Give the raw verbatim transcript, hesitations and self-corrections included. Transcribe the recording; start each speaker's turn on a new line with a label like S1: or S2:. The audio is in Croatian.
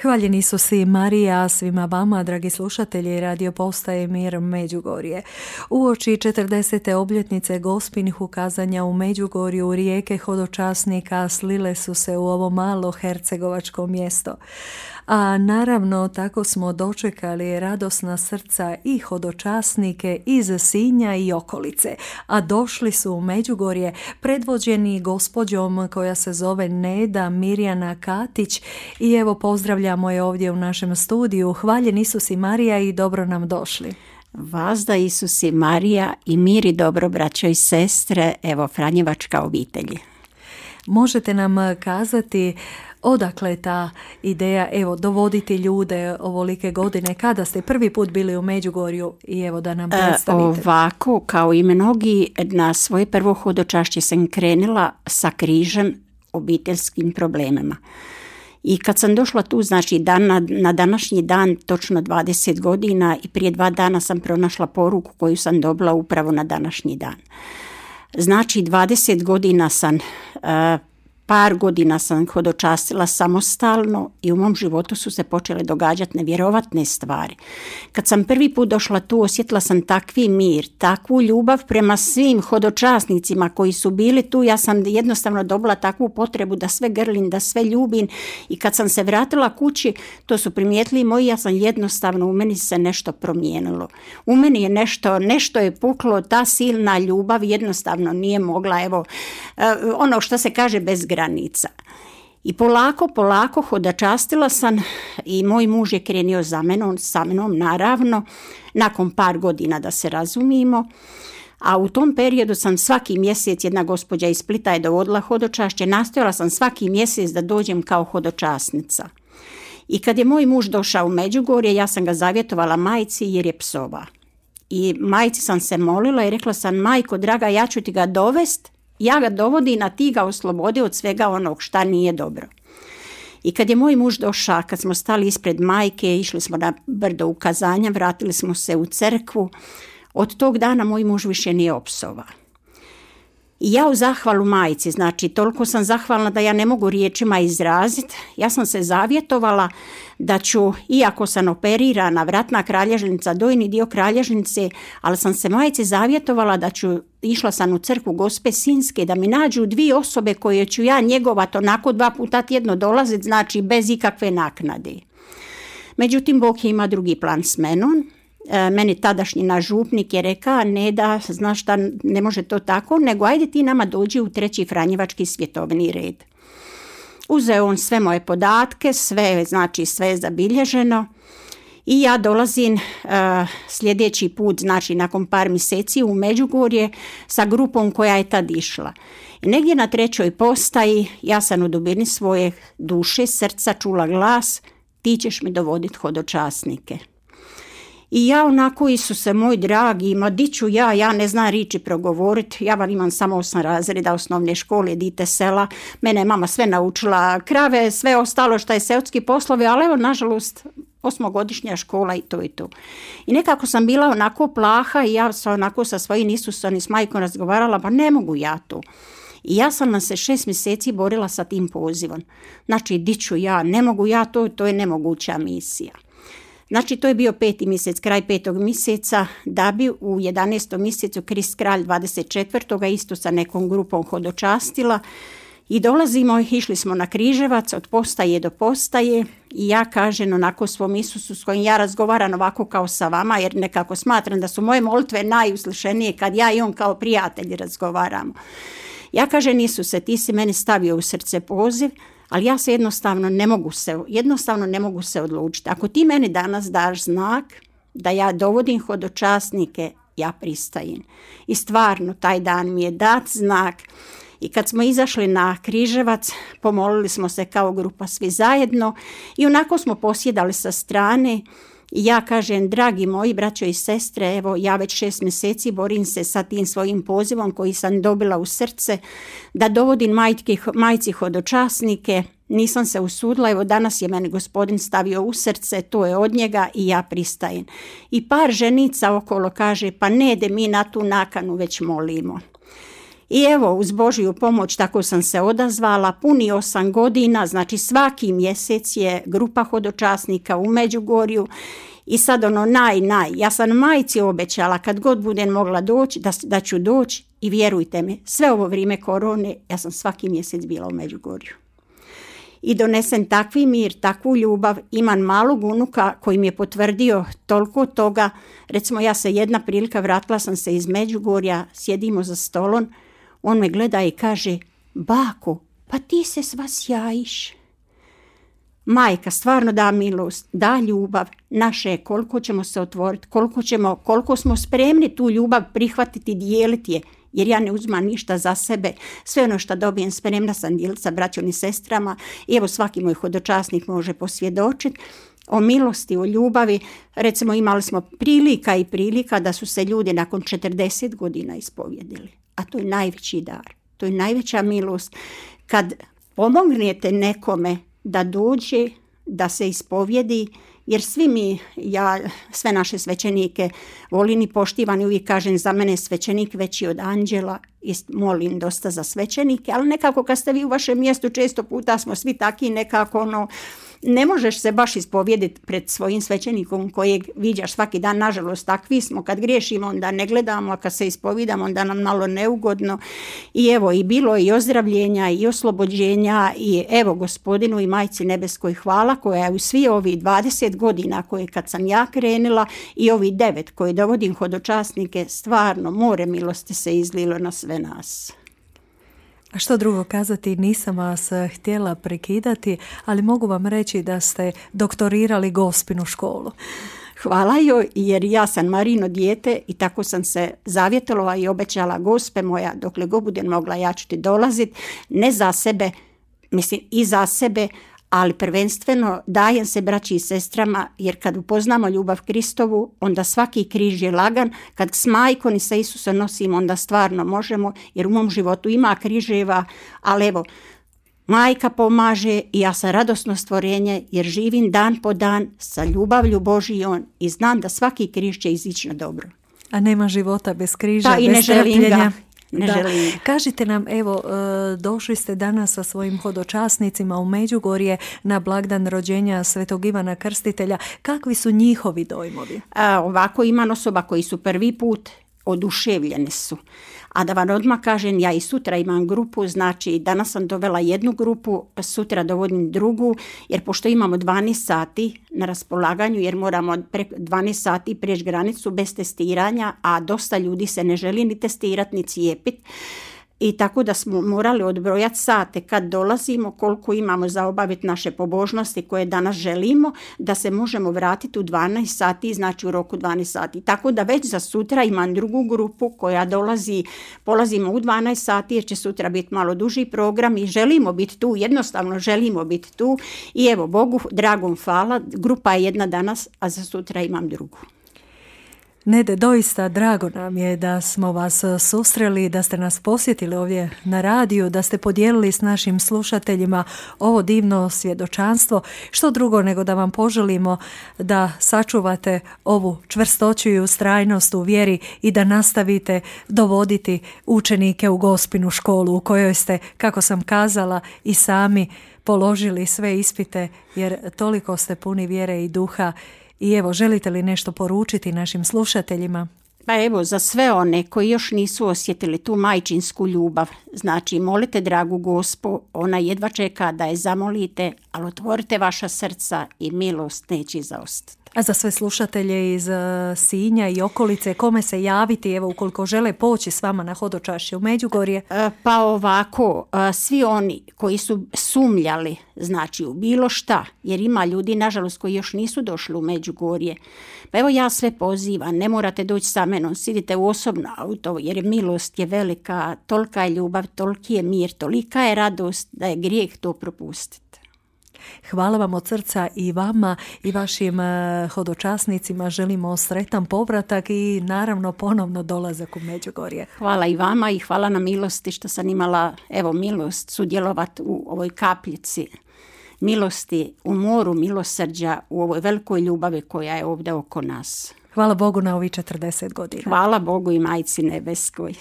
S1: Hvaljen Isus i Marija svima vama, dragi slušatelji Radio Postaje Mir Međugorje. Uoči četrdesete obljetnice Gospinih ukazanja u Međugorju rijeke hodočasnika slile su se u ovo malo hercegovačko mjesto. A naravno tako smo dočekali radosna srca i hodočasnike iz Sinja i okolice, a došli su u Međugorje predvođeni gospođom koja se zove Neda Mirjana Katić i evo pozdravljamo je ovdje u našem studiju. Hvaljen Isus i Marija i dobro nam došli.
S2: Vazda Isus i Marija i mir i dobro, braćo i sestre, evo Franjevačka obitelji.
S1: Možete nam kazati odakle ta ideja, evo, dovoditi ljude ovolike godine, kada ste prvi put bili u Međugorju i evo da nam predstavite?
S2: E, ovako, kao i mnogi, na svoje prvo hodočašće sam krenula sa križem obiteljskim problemima. I kad sam došla tu, znači dan na, na današnji dan, točno dvadeset godina i prije dva dana sam pronašla poruku koju sam dobila upravo na današnji dan. Znači dvadeset godina sam, uh, par godina sam hodočastila samostalno i u mom životu su se počele događati nevjerovatne stvari. Kad sam prvi put došla tu, osjetila sam takvi mir, takvu ljubav prema svim hodočasnicima koji su bili tu. Ja sam jednostavno dobila takvu potrebu da sve grlim, da sve ljubim i kad sam se vratila kući, to su primijetili moji, ja sam jednostavno, u meni se nešto promijenilo. U meni je nešto, nešto je puklo, ta silna ljubav jednostavno nije mogla, evo, ono što se kaže bez granica. I polako, polako hodočastila sam i moj muž je krenio za menom, sa mnom naravno, nakon par godina da se razumijemo. A u tom periodu sam svaki mjesec, jedna gospođa iz Splita je dovodila hodočašće, nastojala sam svaki mjesec da dođem kao hodočasnica. I kad je moj muž došao u Međugorje, ja sam ga zavjetovala majci jer je psova. I majci sam se molila i rekla sam, majko draga, ja ću ti ga dovest, ja ga dovodim, a ti ga oslobodi od svega onog šta nije dobro. I kad je moj muž došao, kad smo stali ispred majke, išli smo na brdo ukazanja, vratili smo se u crkvu, od tog dana moj muž više nije opsova. I ja u zahvalu majci, znači toliko sam zahvalna da ja ne mogu riječima izraziti, ja sam se zavjetovala da ću, iako sam operirana, vratna kralježnica, dojni dio kralježnice, ali sam se majci zavjetovala da ću, išla sam u crkvu Gospe Sinjske, da mi nađu dvije osobe koje ću ja njegovat, onako dva puta tjedno dolaziti, znači bez ikakve naknade. Međutim, Bog ima drugi plan s menom. E, meni tadašnji naš župnik je rekao, ne da, znaš šta, ne može to tako, nego ajde ti nama dođi u treći Franjevački svjetovni red. Uzeo on sve moje podatke, sve, znači sve je zabilježeno i ja dolazim uh, sljedeći put, znači nakon par mjeseci u Međugorje sa grupom koja je tad išla. I negdje na trećoj postaji ja sam u dubini svoje duše, srca čula glas, ti ćeš mi dovoditi hodočasnike. I ja onako, Isuse moj dragi, ma di ću ja, ja ne znam riči progovoriti, ja vam imam samo osam razreda osnovne škole, dite sela, mene je mama sve naučila, krave, sve ostalo što je seoski poslovi, ali evo nažalost osmogodišnja škola i to i to. I nekako sam bila onako plaha i ja sam onako sa svojim Isusom i s majkom razgovarala, pa ne mogu ja to. I ja sam nam se šest mjeseci borila sa tim pozivom. Znači, di ću ja, ne mogu ja to, to je nemoguća misija. Znači, to je bio peti mjesec, kraj petog mjeseca, da bi u jedanaestom mjesecu Krist kralj dvadeset četvrtog isto sa nekom grupom hodočastila i dolazimo, išli smo na Križevac od postaje do postaje i ja kažem onako svom Isusu s kojim ja razgovaram ovako kao sa vama, jer nekako smatram da su moje molitve najuslišenije kad ja i on kao prijatelji razgovaramo. Ja kažem, Isuse, ti si meni stavio u srce poziv, ali ja se jednostavno ne mogu se, jednostavno ne mogu se odlučiti. Ako ti meni danas daš znak da ja dovodim hodočasnike, ja pristajem. I stvarno, taj dan mi je dat znak. I kad smo izašli na Križevac, pomolili smo se kao grupa svi zajedno i onako smo posjedali sa strane. I ja kažem, dragi moji braćo i sestre, evo ja već šest mjeseci borim se sa tim svojim pozivom koji sam dobila u srce, da dovodim majke, majci hodočasnike, nisam se usudila, evo danas je meni Gospodin stavio u srce, to je od njega i ja pristajem. I par ženica okolo kaže, pa ne de mi na tu nakanu već molimo. I evo, uz Božju pomoć tako sam se odazvala, puni osam godina, znači svaki mjesec je grupa hodočasnika u Međugorju. I sad ono naj, naj, ja sam majci obećala kad god budem mogla doći, da, da ću doći i vjerujte mi, sve ovo vrijeme korone, ja sam svaki mjesec bila u Međugorju. I donesen takvi mir, takvu ljubav, imam malog unuka koji mi je potvrdio toliko toga. Recimo ja se jedna prilika, vratila sam se iz Međugorja, sjedimo za stolom, on me gleda i kaže, bako, pa ti se sva sjajiš. Majka stvarno da milost, da ljubav, naše je koliko ćemo se otvoriti, koliko, ćemo, koliko smo spremni tu ljubav prihvatiti, dijeliti je, jer ja ne uzmam ništa za sebe, sve ono što dobijem spremna sam dijeliti sa braćom i sestrama i evo svaki moj hodočasnik može posvjedočiti o milosti, o ljubavi. Recimo imali smo prilika i prilika da su se ljudi nakon četrdeset godina ispovjedili, a to je najveći dar, to je najveća milost kad pomognete nekome da dođe, da se ispovjedi, jer svi mi, ja sve naše svećenike volim i poštivam i uvijek kažem za mene svećenik veći od anđela i molim dosta za svećenike, ali nekako kad ste vi u vašem mjestu često puta smo svi taki nekako ono, ne možeš se baš ispovjediti pred svojim svećenikom kojeg viđaš svaki dan, nažalost takvi smo, kad griješimo onda ne gledamo, a kad se ispovidamo onda nam malo neugodno i evo i bilo i ozdravljenja i oslobođenja i evo Gospodinu i Majci Nebeskoj hvala koja je u svi ovi dvadeset godina koje kad sam ja krenila i ovi devet koje dovodim hodočasnike, stvarno more milosti se izlilo na sve nas.
S1: A što drugo kazati, nisam vas htjela prekidati, ali mogu vam reći da ste doktorirali Gospinu školu.
S2: Hvala joj, jer ja sam Marino dijete i tako sam se zavjetovala i obećala Gospe moja, dokle god budem mogla ja ću ti dolaziti, ne za sebe, mislim i za sebe, ali prvenstveno dajem se braći i sestrama, jer kad upoznamo ljubav Kristovu, onda svaki križ je lagan. Kad s majkom i sa Isusom nosimo, onda stvarno možemo, jer u mom životu ima križeva, ali evo, majka pomaže i ja sam radosno stvorenje, jer živim dan po dan sa ljubavlju Božijom i znam da svaki križ će izići na dobro.
S1: A nema života bez križa,
S2: da,
S1: bez
S2: i ne
S1: trpljenja.
S2: Ne
S1: da.
S2: želim.
S1: Kažite nam, evo, došli ste danas sa svojim hodočasnicima u Međugorje na blagdan rođenja Svetog Ivana Krstitelja. Kakvi su njihovi dojmovi?
S2: A, ovako imam osoba koji su prvi put, oduševljene su. A da vam odmah kažem, ja i sutra imam grupu, znači danas sam dovela jednu grupu, sutra dovodim drugu, jer pošto imamo dvanaest sati na raspolaganju, jer moramo preko dvanaest sati prijeći granicu bez testiranja, a dosta ljudi se ne želi ni testirati, ni cijepiti. I tako da smo morali odbrojati sate kad dolazimo, koliko imamo za obaviti naše pobožnosti koje danas želimo, da se možemo vratiti u dvanaest sati, znači u roku dvanaest sati. Tako da već za sutra imam drugu grupu koja dolazi, polazimo u dvanaest sati jer će sutra biti malo duži program i želimo biti tu, jednostavno želimo biti tu. I evo, Bogu dragom hvala, grupa je jedna danas, a za sutra imam drugu.
S1: Nede, doista drago nam je da smo vas susreli, da ste nas posjetili ovdje na radiju, da ste podijelili s našim slušateljima ovo divno svjedočanstvo. Što drugo nego da vam poželimo da sačuvate ovu čvrstoću i ustrajnost u vjeri i da nastavite dovoditi učenike u Gospinu školu u kojoj ste, kako sam kazala, i sami položili sve ispite jer toliko ste puni vjere i duha. I evo, želite li nešto poručiti našim slušateljima?
S2: Pa evo, za sve one koji još nisu osjetili tu majčinsku ljubav, znači molite dragu Gospu, ona jedva čeka da je zamolite, ali otvorite vaša srca i milost neće zaostati.
S1: A za sve slušatelje iz Sinja i okolice, kome se javiti, evo, ukoliko žele poći s vama na hodočašće u Međugorje?
S2: Pa ovako, svi oni koji su sumnjali, znači u bilo šta, jer ima ljudi, nažalost, koji još nisu došli u Međugorje. Pa evo ja sve pozivam, ne morate doći sa menom, sidite u osobno auto, jer milost je velika, tolika je ljubav, toliki je mir, tolika je radost da je grijeh to propustiti.
S1: Hvala vam od srca i vama i vašim hodočasnicima. Želimo sretan povratak i naravno ponovno dolazak u Međugorje.
S2: Hvala i vama i hvala na milosti što sam imala, evo, milost sudjelovati u ovoj kapljici milosti, u moru milosrđa, u ovoj velikoj ljubavi koja je ovdje oko nas.
S1: Hvala Bogu na ovih četrdeset godina.
S2: Hvala Bogu i Majci Nebeskoj.